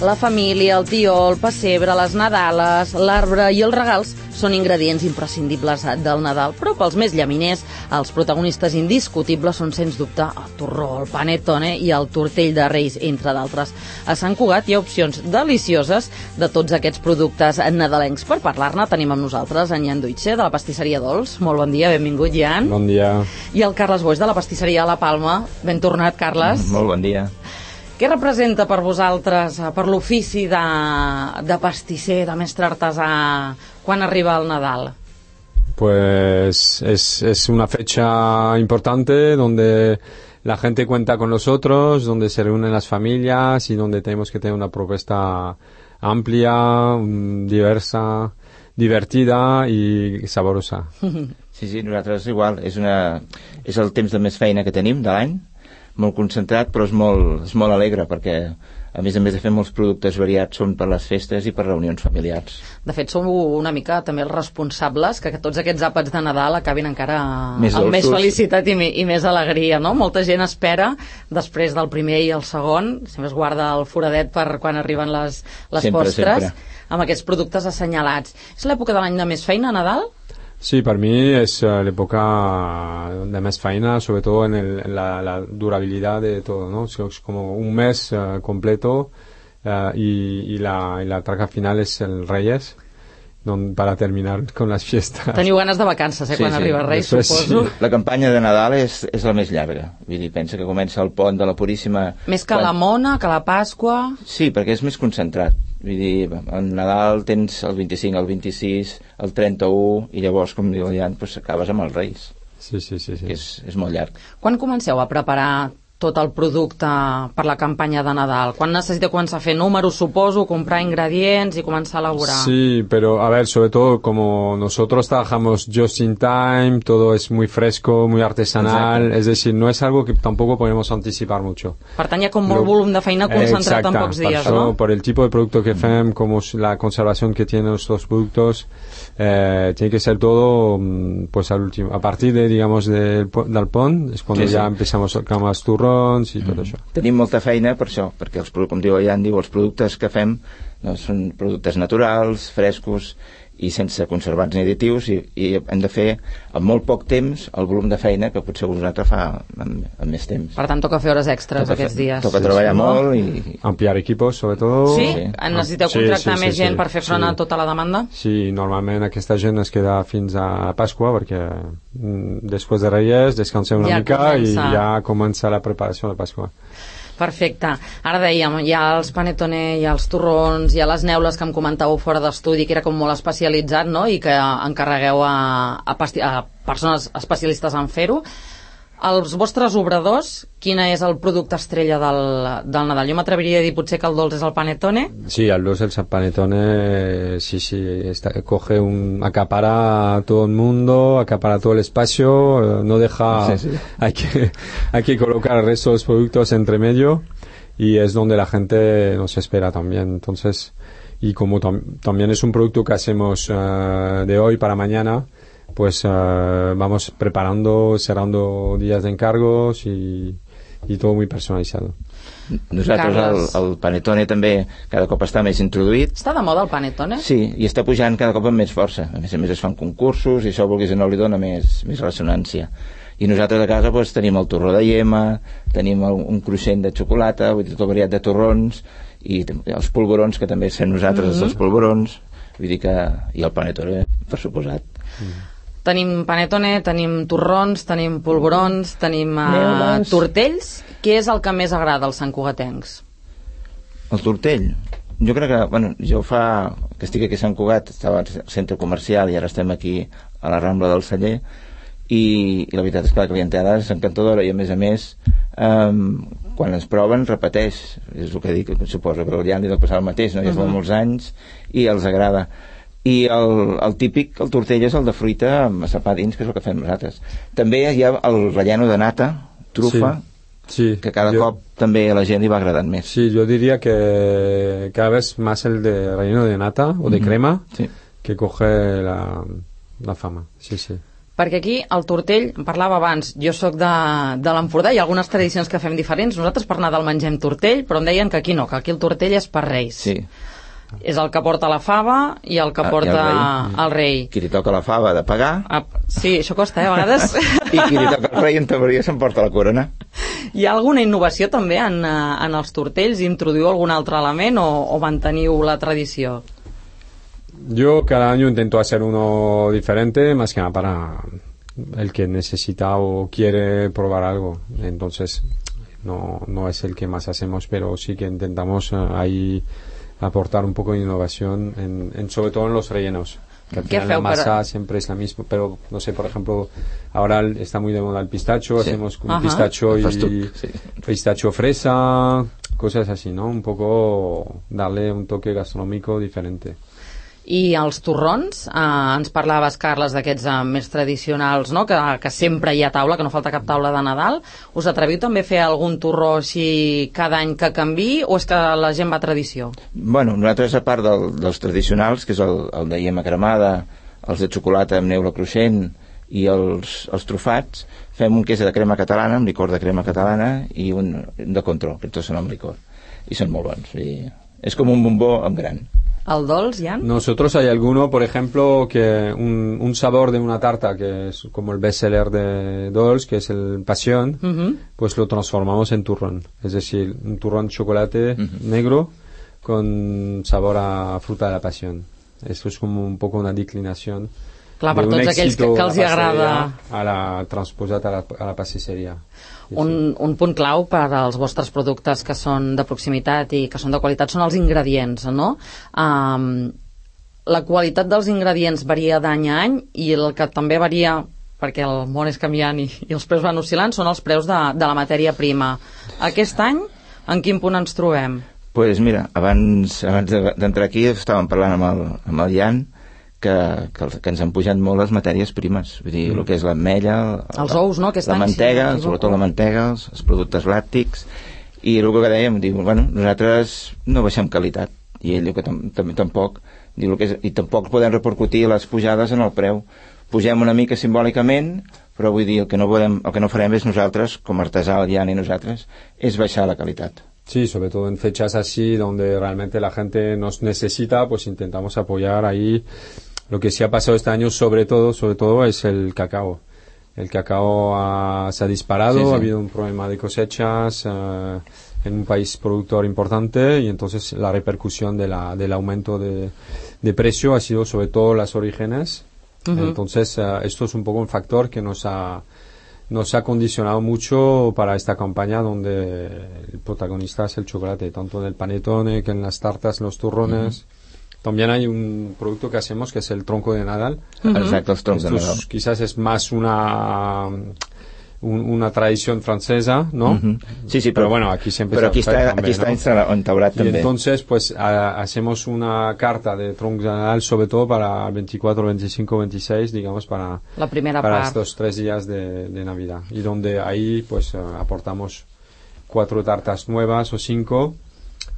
La família, el tió, el pessebre, les nadales, l'arbre i els regals són ingredients imprescindibles del Nadal, però pels més llaminers, els protagonistes indiscutibles són, sens dubte, el torró, el panettone i el tortell de Reis, entre d'altres. A Sant Cugat hi ha opcions delicioses de tots aquests productes nadalencs. Per parlar-ne tenim amb nosaltres en Jan Duitxe, de la pastisseria Dols. Molt bon dia, benvingut, Jan. Bon dia. I el Carles Boix, de la pastisseria La Palma. Ben tornat, Carles. Molt bon dia. Què representa per vosaltres, per l'ofici de pastisser, de mestre artesà, quan arriba el Nadal? Pues es una fecha importante donde la gente cuenta con nosotros, donde se reúnen las familias y donde tenemos que tener una propuesta amplia, diversa, divertida y saborosa. Sí, nosaltres igual. És el temps de més feina que tenim de l'any, molt concentrat, però és molt alegre, perquè a més de fer molts productes variats són per les festes i per reunions familiars. De fet, som una mica també els responsables que tots aquests àpats de Nadal acabin encara més amb més felicitat i més alegria, no? Molta gent espera, després del primer i el segon, sempre es guarda el foradet per quan arriben les postres, amb aquests productes assenyalats. És l'època de l'any de més feina, Nadal? Sí, para mí es la época de más faena, sobre todo en la durabilidad de todo, ¿no? Es como un mes completo y la traca final es el Reyes, para terminar con las fiestas. Teniu ganes de vacances, quan arriba Reis, suposo. Sí. La campanya de Nadal és la més llarga. Vull dir, pensa que comença el pont de la Puríssima... Més que la Mona, que la Pasqua... Sí, perquè és més concentrat. Vull dir, en Nadal tens el 25, el 26, el 31, i llavors, com diu el Jan, doncs acabes amb els Reis. Sí. És molt llarg. Quan comenceu a preparar tot el producte per la campanya de Nadal? Quan necessiteu començar a fer números, suposo, comprar ingredients y comenzar a elaborar? Sí, pero a ver, sobre todo como nosotros trabajamos just in time, todo es muy fresco, muy artesanal. Exacto. Es decir, no es algo que tampoco podemos anticipar mucho. Per tant, hi ha com molt volum de feina concentrat en pocs dies, ¿no? Por el tipo de producto que fem, como la conservación que tienen estos productos, tiene que ser todo pues al último, a partir de, digamos, del pont, es cuando ya empezamos con más turros i tot això. Tenim molta feina per això, perquè com diu el Jan, els productes que fem són productes naturals, frescos i sense conservants ni additius, i hem de fer en molt poc temps el volum de feina que potser un altre fa en més temps. Per tant, toca fer hores extres aquests dies. Toca treballar molt i... Ampliar equipos, sobretot. Sí? Necessiteu contractar més gent per fer front a tota la demanda? Sí, normalment aquesta gent es queda fins a Pasqua, perquè després de Reyes descansem una mica i ja comença la preparació de Pasqua. Perfecte. Ara dèiem, hi ha els panettone, hi ha els torrons, hi ha les neules que em comentàveu fora d'estudi, que era com molt especialitzat, no?, i que encarregueu a persones especialistes en fer-ho. Els vostres obradors, quin és el producte estrella del Nadal? Jo m'atreviria a dir potser que el dolç és el panettone. Sí, el dolç és el panettone, sí, acapara todo el mundo, acapara todo el espacio, no deja... Sí. Hay que colocar el resto de los productos entre medio y es donde la gente nos espera también. Entonces, y como también es un producto que hacemos de hoy para mañana, pues vamos preparando, cerrando días de encargos y todo muy personalizado. Nosaltres el panettone també cada cop està més introduït. Està de moda el panettone? Sí, i està pujant cada cop amb més força. A més es fan concursos i això, vulguis o no, li dona més ressonància. I nosaltres a casa doncs, tenim el torró de lliema, tenim un cruixent de xocolata, vull dir, tot variat de torrons, i els polvorons, que també fem nosaltres, els polvorons, vull dir que... i el panettone, per suposat. Tenim panettone, tenim torrons, tenim polvorons, tenim tortells. Què és el que més agrada als santcugatencs? El tortell? Jo crec que, jo que estic aquí a Sant Cugat, estava al centre comercial i ara estem aquí a la Rambla del Celler, i la veritat és que la clientela és encantadora i a més quan es proven repeteix, és el que dic, suposo que ja li deu passar el mateix, no? Ja fa molts anys i els agrada. I el típic, el tortell és el de fruita amb massapà dins, que és el que fem nosaltres. També hi ha el relleno de nata, trufa, que cada cop també a la gent li va agradant més. Sí, yo diría que cada vez más el de relleno de nata o de crema que coge la fama. Sí. Perquè aquí el tortell, en parlava abans, jo sóc de l'Empordà, hi ha algunes tradicions que fem diferents, nosaltres per Nadal mengem tortell, però em deien que aquí no, que aquí el tortell és per Reis. Sí. És el que porta la fava i el que porta el rei. Qui li toca la fava ha de pagar. Sí, això costa, a vegades. I qui li toca el rei en teoria s'emporta la corona. Hi ha alguna innovació també en els tortells? Introduïu algun altre element o manteniu la tradició? Yo cada año intento hacer uno diferente, más que nada para el que necesita o quiere probar algo. Entonces, no es el que más hacemos, pero sí que intentamos ahí aportar un poco de innovación, sobre todo en los rellenos. Que al final la masa siempre es la misma, pero no sé, por ejemplo, ahora está muy de moda el pistacho, sí. Hacemos un pistacho y pistacho fresa, cosas así, ¿no? Un poco darle un toque gastronómico diferente. I els torrons, ens parlaves, Carles, d'aquests més tradicionals, no? que sempre hi ha taula, que no falta cap taula de Nadal. Us atreviu també a fer algun torró així cada any que canviï, o és que la gent va a tradició? Bueno, nosaltres, a part dels tradicionals, que és el de iema cremada, els de xocolata amb neula cruixent i els trufats, fem un que és de crema catalana, amb licor de crema catalana, i un de control, que tots són amb licor. I són molt bons. I és com un bombó amb gran. ¿Al Dols, Jan? Nosotros hay alguno, por ejemplo, que un sabor de una tarta que es como el bestseller de Dols, que es el pasión, pues lo transformamos en turrón. Es decir, un turrón de chocolate negro con sabor a fruta de la pasión. Esto es como un poco una declinación. Clar, per tots aquells que els hi agrada transposat a la pastisseria. Un punt clau per als vostres productes que són de proximitat i que són de qualitat són els ingredients, no? La qualitat dels ingredients varia d'any a any i el que també varia, perquè el món és canviant i els preus van oscil·lant, són els preus de la matèria prima. Aquest any, en quin punt ens trobem? Pues mira, abans d'entrar aquí estàvem parlant amb el Jan que ens han pujat molt les matèries primes, vull dir, el que és l'ametlla, els ous, no? La mantega, sobretot la mantega, els productes làctics, i el que dèiem, diu, bueno, nosaltres no baixem qualitat, i ell diu que també tampoc, diu, i tampoc podem repercutir les pujades en el preu. Pugem una mica simbòlicament, però vull dir, el que no farem és nosaltres, com a artesà, el Jan i nosaltres, és baixar la qualitat. Sí, sobre todo en fechas así donde realmente la gente nos necesita, pues intentamos apoyar ahí. Lo que sí ha pasado este año sobre todo es el cacao. El cacao se ha disparado, sí. Ha habido un problema de cosechas en un país productor importante y entonces la repercusión del aumento de precio ha sido sobre todo las orígenes. Entonces esto es un poco un factor que nos ha condicionado mucho para esta campaña donde el protagonista es el chocolate, tanto en el panetone que en las tartas, los turrones. También hay un producto que hacemos que es el tronco de Nadal. Exacto, los troncos de Nadal. Quizás es más una tradición francesa, ¿no? Sí, pero bueno, aquí siempre pero aquí está instaurado también. Y entonces, pues, hacemos una carta de troncos de Nadal, sobre todo para el 24, 25, 26, digamos, para estos 3 días de Navidad. Y donde ahí, pues, aportamos 4 tartas nuevas o 5,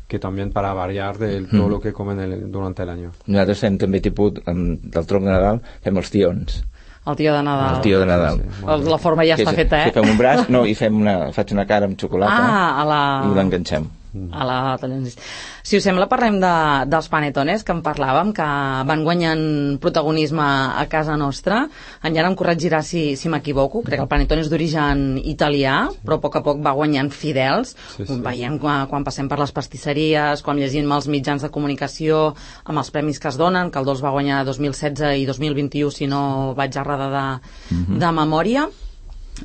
que també para variar de todo lo que comen durante el año. Nosaltres fem també tipus del tronc de Nadal, fem els tions. El tio de Nadal. El tio de Nadal. Sí. La forma ja està feta, fem un braç, no, i faig una cara amb xocolata i l'enganxem. Si us sembla, parlem dels panetones que en parlàvem, que van guanyant protagonisme a casa nostra. En Jan em corregirà si m'equivoco, crec que el panetone és d'origen italià, però a poc va guanyant fidels. Veiem quan passem per les pastisseries, quan llegim els mitjans de comunicació amb els premis que es donen, que el Dols va guanyar 2016 i 2021, si no vaig errada de memòria.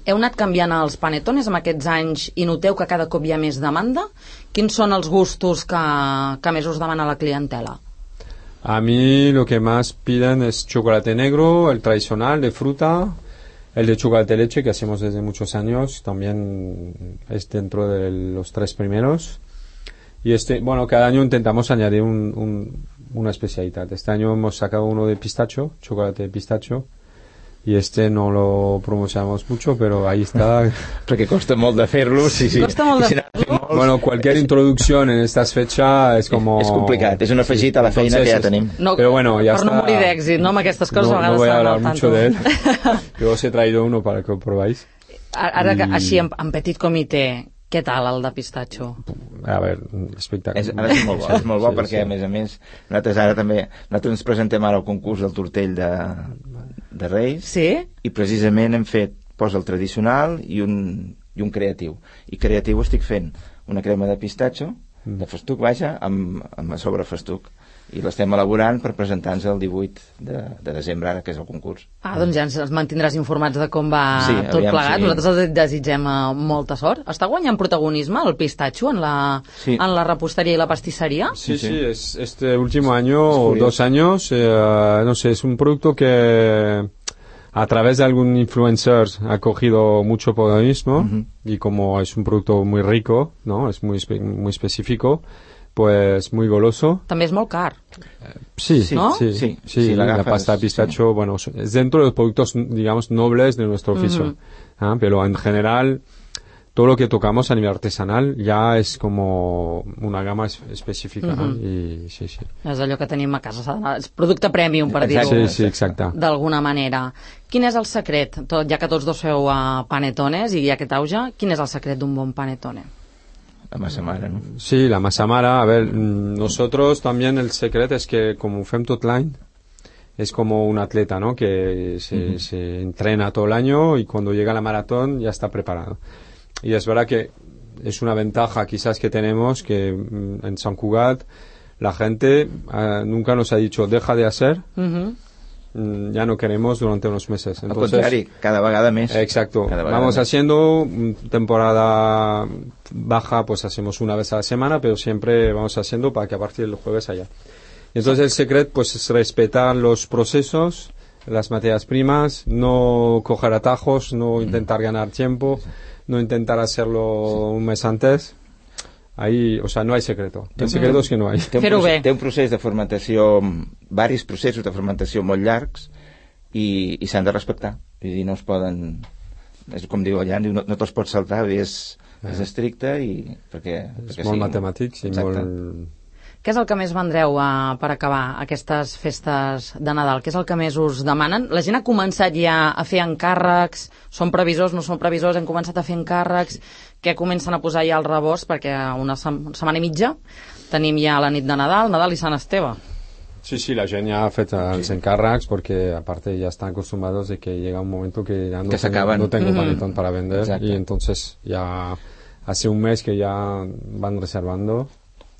Heu anat canviant els panetones en aquests anys i noteu que cada cop hi ha més demanda? Quins són els gustos que més us demana la clientela? A mí lo que más piden es chocolate negro, el tradicional de fruta, el de chocolate leche que hacemos desde muchos años, también es dentro de los 3 primeros. Y cada año intentamos añadir una especialidad. Este año hemos sacado uno de pistacho, chocolate de pistacho, y no lo promocionamos mucho, pero ahí está. Perquè costa molt de fer-lo. Costa molt de fer-lo. Bueno, cualquier introducción en estas fechas es como... És complicat, és un afegit a la feina que ja tenim. No, pero bueno, ya per no morir d'èxit, no? Amb aquestes coses a vegades... No voy a hablar mucho de él. Yo os he traído uno para que lo probáis. Ara, així, en petit comitè, què tal el de pistatxo? A ver, espectacular. Ara és molt bo, és molt bo perquè, a més, nosaltres ens presentem ara al concurs del tortell de Reis, i precisament hem fet el tradicional i un creatiu. I creatiu estic fent una crema de pistatxo, de festuc, vaja, amb sobre festuc. I l'estem elaborant per presentar-nos el 18 de desembre, ara, que és el concurs. Doncs ja ens mantindràs informats de com va tot plegat. Nosaltres desitgem molta sort. Està guanyant protagonisme el pistatxo en la repostería y la pastissería? Sí, este último año o 2 años, no sé, es un producto que a través de algún influencer ha cogido mucho protagonismo, y como es un producto muy rico, ¿no? Es muy específico, pues muy goloso. També és molt car. Sí, ¿no? Sí, la pasta de pistacho, bueno, es dentro de los productos, digamos, nobles de nuestro oficio. Pero en general, todo lo que tocamos a nivel artesanal ya es como una gama específica. I sí. És allò que tenim a casa, és producte premium, per dir-ho d'alguna manera. Quin és el secret, ja que tots dos feu panetones i hi ha aquest auge, quin és el secret d'un bon panetone? La masa mara, ¿no? Sí, la masa mara. A ver, nosotros también el secreto es que como fem tot l'any, es como un atleta, ¿no? Que se entrena todo el año y cuando llega la maratón ya está preparado. Y es verdad que es una ventaja quizás que tenemos, que en Sant Cugat la gente nunca nos ha dicho deja de hacer, ya no queremos durante unos meses. Entonces, al contrario, cada vegada més. Exacto. Vamos haciendo temporada baja, pues hacemos una vez a la semana, pero siempre vamos haciendo para que a partir del jueves haya. Entonces el secreto pues es respetar los procesos, las materias primas, no coger atajos, no intentar ganar tiempo, no intentar hacerlo un mes antes. Ahí, o sea, no hay secreto. El secreto es que no hay. Té un procés de fermentació, varis processos de fermentació molt llargs, i s'han de respectar. Vull dir, no es poden... És com diu allà, no te'ls pots saltar, vull dir, és estricte i... És molt matemàtic i molt... Què és el que més vendreu per acabar aquestes festes de Nadal? Què és el que més us demanen? La gent ha començat ja a fer encàrrecs, són previsors, no són previsors, han començat a fer encàrrecs, que comencen a posar ja el rebost, perquè una setmana i mitja tenim ja la nit de Nadal i Sant Esteve. Sí, la gent ja ha fet els encàrrecs, porque aparte ya están acostumbrados de que llega un momento que ya no tengo panetón para vender. Exacto. Y entonces ya hace un mes que ya van reservando.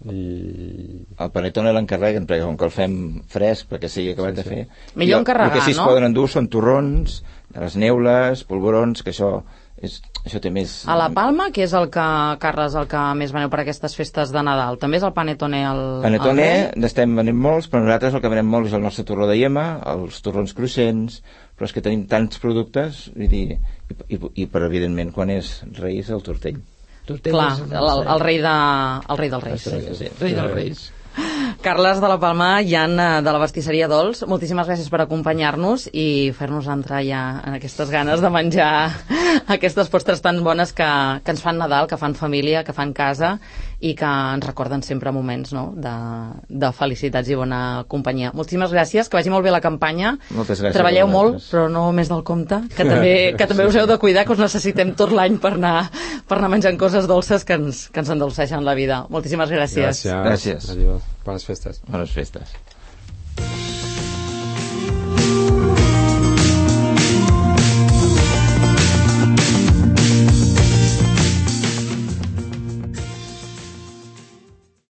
I... El panetone l'encarreguen perquè com que el fem fresc perquè sigui acabat de fer, millor encarregar, el que sí es poden endur són torrons, les neules, polvorons, que això té més... A la Palma, que és el que, Carles, el que més veneu per aquestes festes de Nadal, també és el panetone panetone n'estem venent molts, però nosaltres el que venem molt és el nostre torró de yema, els torrons cruixents, però és que tenim tants productes, vull dir, i per evidentment quan és Reis el tortell. Clar, el rei dels Reis. Rei dels Reis. Carles de la Palma, Jan de la pastisseria Dols, moltíssimes gràcies per acompanyar-nos i fer-nos entrar ja en aquestes ganes de menjar aquestes postres tan bones que ens fan Nadal, que fan família, que fan casa i que ens recorden sempre moments, no?, de felicitats i bona companyia. Moltíssimes gràcies, que vagi molt bé la campanya. Moltes gràcies. Treballeu molt, però no més del compte, que també us heu de cuidar, que us necessitem tot l'any per anar menjant coses dolces que ens endolceixen la vida. Moltíssimes gràcies. Gràcies. Gràcies. Adiós. Bones festes. Bones festes.